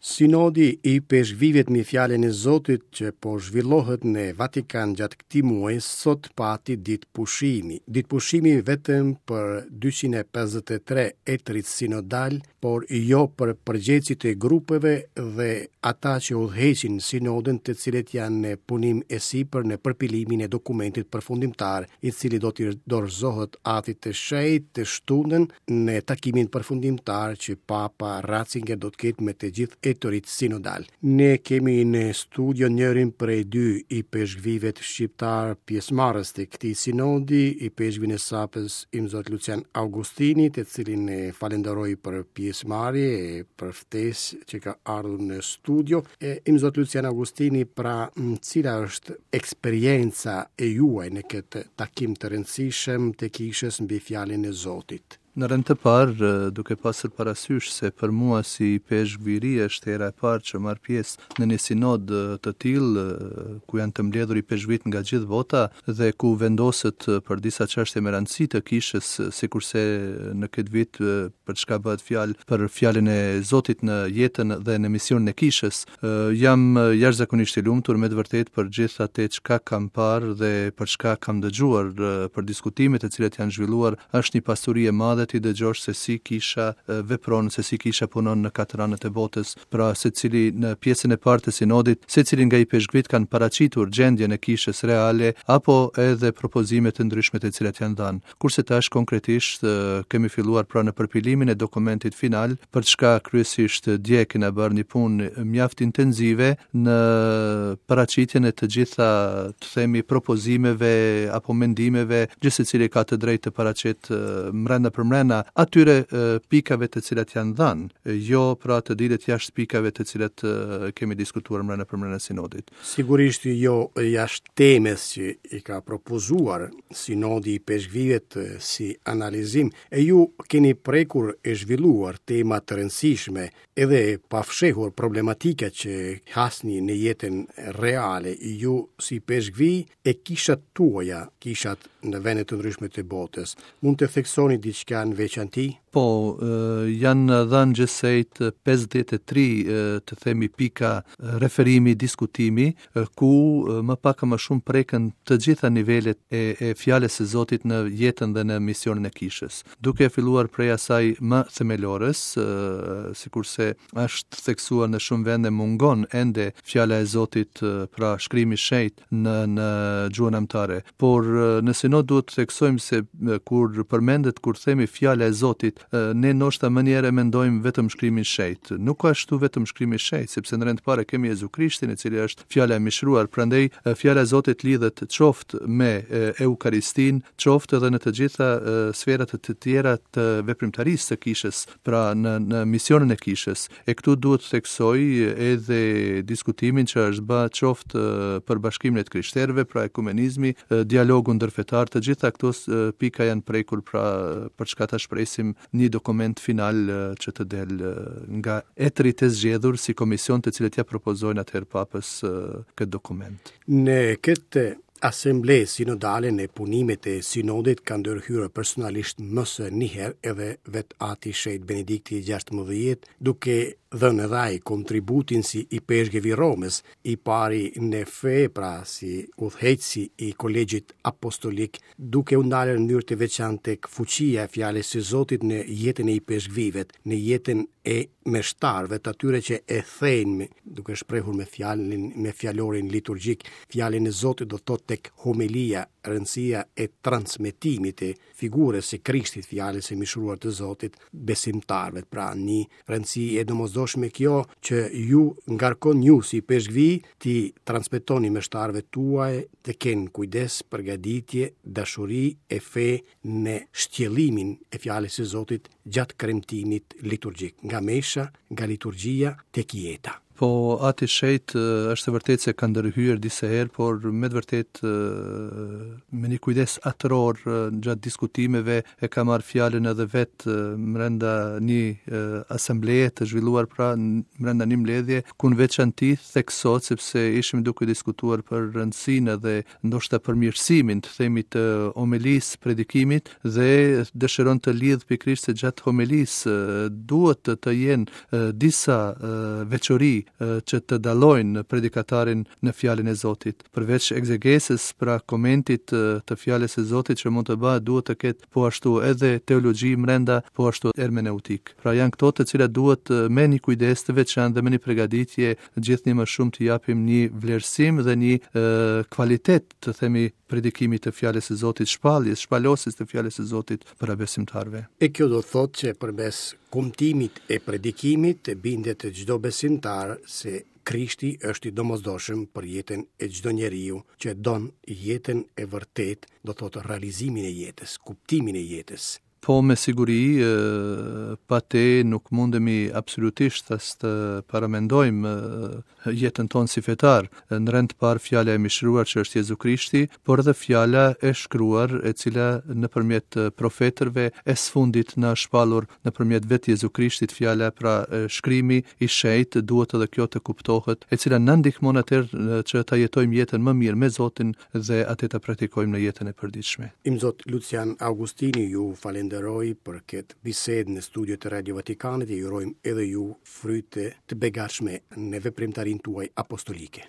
Sinodi i Ipeshkvijve mbi Fjalën e Zotit që po zhvillohet në Vatikan gjatë këtij muaji sot pati ditë pushimi. Ditë pushimi vetëm për 253 etërit sinodalë, por jo për përgjegjësit e grupeve dhe ata që udhëheqin sinodin të cilët janë në punim e sipër në përpilimin e dokumentit përfundimtar, i cili do t'i dorëzohet Atit të Shenjtë të shtunën në takimin përfundimtar që Papa Ratzinger do të ketë me të gjithë etërit sinodalë. Ne kemi në studio njërin prej dy ipeshkvijve shqiptarë pjesëmarrës të këtij sinodi, ipeshkvin e Sapës Imzot Lucian Augustini, të cilin e falenderoj për pjesëmarrje e për ftesë që ka ardhur në studio. E Imzot Lucian Augustini, pra cila është eksperienca e juaj në këtë takim të rëndësishëm të kishës mbi fjalën e Zotit? Në rend të parë, duke pasur parasysh se për mua si ipeshkv i ri është hera e parë që marr pjesë në një sinod të tillë, ku janë të mbledhur ipeshkvijtë nga gjithë bota dhe ku vendoset për disa çështje me rëndësi të kishës, sikurse në këtë vit për çka bëhet fjalë për fjalën e Zotit në jetën dhe në misionin e kishës. Jam jashtëzakonisht i lumtur me të vërtetë për gjithë atë çka kam parë dhe për çka kam dëgjuar për diskutimet të cilat janë zhvilluar. Është një pasuri e madhe t'i dëgjosh se si kisha vepron, se si kisha punon në katër anët e botës. Pra secili në pjesën e parë të sinodit, secili nga ipeshkvijtë kanë paraqitur gjendjen e kishës reale apo edhe propozime të ndryshme të cilat janë dhënë. Kurse tash konkretisht kemi filluar pra në përpilimin e dokumentit final, për çka kryesisht dje kena bërë një punë mjaft intenzive në paraqitjen e të gjitha, të themi, propozimeve apo mendimeve, gjithsecili ka të drejtë të paraqet mrenda për mrenda atyre pikave të cilat janë dhënë, jo pra të dilet jashtë pikave të cilat kemi diskutuar mrenda për mrenda sinodit. Sigurisht jo jashtë temës që i ka propozuar Sinodi i Ipeshkvijve si analizim, e ju keni prekur e zhvilluar tema të rëndësishme edhe pa fshehur problematika që hasni në jetën reale, ju si ipeshkvij e kishat tuaja, kishat në vende të ndryshme të botës. Mund të theksoni diçka në veçanti? Po, janë dhënë gjithsejt 53, të themi, pika referimi, diskutimi, ku më pak a më shumë preken të gjitha nivelet e, e fjalës së Zotit në jetën dhe në misionin e kishës. Duke filluar prej asaj më themelores, sikurse është theksuar në shumë vende mungon ende fjala e Zotit, pra shkrimi i shenjtë, në në gjuhën amtare. Por në sinod duhet të theksojmë se kur përmendet kur themi fjala e Zotit, ne ndoshta menjëherë e mendojmë vetëm shkrimin e shenjtë. Nuk ashtu vetëm shkrimi i shenjtë, sepse në rend të parë kemi Jezu Krishtin, i cili është fjala e mishëruar. Prandaj fjala e Zotit lidhet qoftë me Eukaristinë, qoftë edhe në të gjitha sferat të tjera të veprimtarisë së kishës, pra në në misionin e kishës. E këtu duhet të theksoj edhe diskutimin që është bë qoftë për bashkimin e të krishterëve, pra ekumenizmi, dialogu ndërfetar, të gjitha këto pika janë prekur pra për çka tash presim një dokument final që të del nga etërit e zgjedhur si komision të cilët ia propozojnë atëherë papës këtë dokument. Në këtë Asamble sinodale në punimet e sinodit ka ndërhyrë personalisht më se një herë edhe vetë Ati i Shenjtë Benedikti i 16, duke dhënë edhe ai kontributin si ipeshkëv i Romës, i pari në fe, pra si udhëheqësi i Kolegjit Apostolik, duke u ndalur në mënyrë të veçantë tek fuqia e fjalës së Zotit në jetën e ipeshkvijve, në jetën e meshtarëve të atyre që e thejnë duke shprehur me fjalën me fjalorin liturgjik fjalën e Zotit do të thotë tek homilia rëndësia e transmetimit të figurës së Krishtit fjalës së mishëruar të Zotit besimtarëve pra një rëndësi e domosdoshme kjo që ju ngarkon ju si ipeshkvij t'i transmetoni meshtarëve tuaj të kenë kujdes, përgatitje, dashuri e fe në shtjellimin e fjalës së Zotit gjatë kremtimit liturgjik, nga mesha, nga liturgjia tek jeta. Po, Ati i Shenjtë është e vërtetë se ka ndërhyrë disa herë, por me të vërtetë me një kujdes atëror gjatë diskutimeve e ka marrë fjalën edhe vetë mrenda një asambleje të zhvilluar pra mrenda një mbledhje ku në veçanti theksohet sepse ishim duke diskutuar për rëndësinë edhe ndoshta përmirësimin, të themi të homelisë, predikimit dhe dëshiron të lidhë pikërisht se gjatë homelisë duhet të, të jenë disa veçori që të dallojnë predikatarin në fjalën e Zotit. Përveç ekzegesës, pra komentit të fjalës së Zotit që mund të bëhet, duhet të ketë po ashtu edhe teologji mrenda, po ashtu hermeneutikë. Pra janë këto të cilat duhet me një kujdes të veçantë dhe me një pregaditje gjithnjë më shumë të japim një vlerësim dhe një e, kvalitet të themi predikimit të fjalës së Zotit, shpalljes, shpalosjes të fjalës së Zotit para besimtarëve. E kjo do thotë që përmes kumtimit e predikimit të bindet çdo besimtar se Krishti është i domosdoshëm për jetën e çdo njeriu që don jetën e vërtetë, do thotë realizimin e jetës, kuptimin e jetës. Po me siguri, pa te nuk mundemi absolutisht as të paramendojmë jetën tonë si fetar. Në rend të parë fjala e mishëruar që është Jezu Krishti, por edhe fjala e shkruar e cila nëpërmjet profetërve e së fundit na është shpallur nëpërmjet vetë Jezu Krishtit fjala pra shkrimi i shenjtë duhet edhe kjo të kuptohet, e cila na ndihmon atëherë që ta jetojmë jetën më mirë me Zotin dhe atë ta praktikojmë në jetën e përditshme. Imzot Lucian Augustini ju falenderoj për këtë bisedë në studio të Radio Vatikanit e ju urojmë edhe ju fryte të begatshme në veprimtarinë tuaj apostolike.